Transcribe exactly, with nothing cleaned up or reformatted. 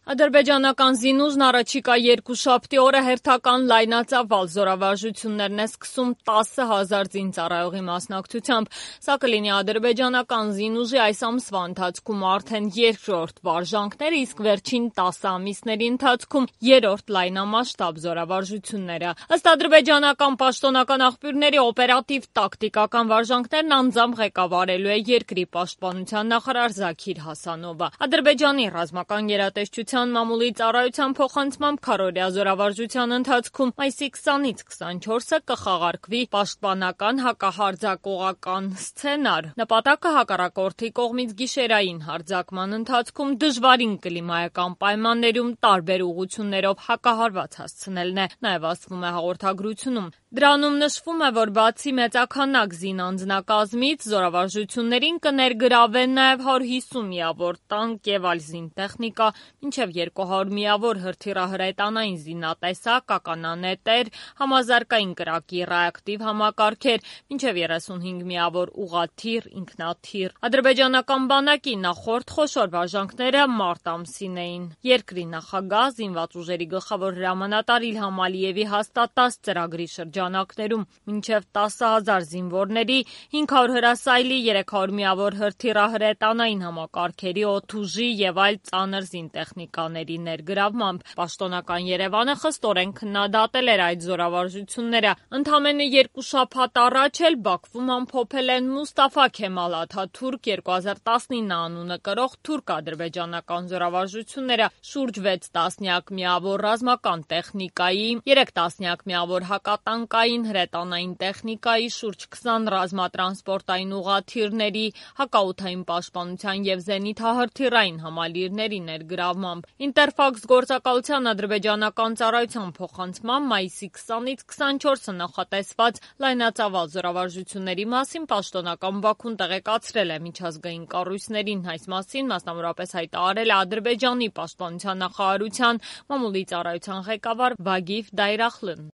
Ադրբեջանական զինուժն առաջիկա երկուշաբթի օրը հերթական լայնածավալ զորավարժություններն է սկսում տասը հազար զինծառայողի մասնակցությամբ: Սա կլինի ադրբեջանական զինուժի այս ամսվա ընթացքում արդեն երկրորդ վարժանքները, իսկ վերջին տասը ամիսների ընթացքում երրորդ լայնամասշտաբ զորավարժությունները: Ըստ ադրբեջանական պաշտոնական աղբյուրների, օպերատիվ-տակտիկական վարժանքներն անձամբ ղեկավարելու է երկրի պաշտպանության նախարար Զաքիր Հասանովը: Ադրբեջանի ռազմական գերատեսչության մամուլի ծառայության փոխանցմամբ քառօրյա զորավարժության ընթացքում մայիսի քսանից քսանչորսը կխաղարկվի պաշտպանական հակահարձակողական սցենար: Նպատակը հակառակորդի կողմից գիշերային հարձակման ընթացքում դժվարին կլիմայական պայմաններում տարբեր ուղղություններով հակահարված հասցնելն է, նաև ասվում է հաղորդագրությունում: Դրանում նշվում է, որ բացի մեծաքանակ զինանձնակազմից, զորավարժություններին կներգրավվեն նաև հարյուր հիսուն միավոր տանկ և այլ զինտեխնիկա, մինչև երկու հարյուր միավոր հրթիռահրետանային զինատեսակ, ականանետեր, համազարգային կրակի ռեակտիվ համակարգեր, մինչև երեսունհինգ միավոր ուղղաթիռ, ինքնաթիռ: Ադրբեջանական բանակի նախորդ խոշոր վարժանքները մարտ ամսին էին: Երկրի նախագահ, Զինված ուժերի գլխավոր հրամանատար Իլհամ Ալիևի հաստատած ծրագրի շրջանակներում մինչև տասը հազար զինվորների, հինգ հարյուր հրասայլի, երեք հարյուր միավոր հրթիռահրետանային համակարգերի, օդուժի և այլ ծանր զինտեխնիկաների ներգրավմամբ: Պաշտոնական Երևանը խստորեն քննադատել էր այդ զորավարժությունները: Ընդամենը երկու շաբաթ առաջ էլ Բաքվում ամփոփել են Մուստաֆա Քեմալ Աթաթուրք երկու հազար տասնինը անունը կրող թուրք-ադրբեջանական զորավարժությունները շուրջ վեց տասնյակ միավոր ռազմական տեխնիկայի, երեք տասնյակ միավոր հակատանկային, հրետանային տեխնիկայի, շուրջ քսան ռազմատրանսպորտային ուղղաթիռների, հակաօդային պաշտպանության և զենիթահրթիռային համալիրների ներգրավմամբ: Ինտերֆաքս գործակալության ադրբեջանական ծառայության փոխանցմամբ մայիսի քսանից քսանչորսը նախատեսված լայնածավալ զորավարժությունների մասին պաշտոնական Բաքուն տեղեկացրել է միջազգային կառույցներին: Այս մասին մասնավորապես հայտարարել է Ադրբեջանի պաշտպանության նախարարության մամուլի ծառայության ղեկավար Վագիֆ Դայրախլըն: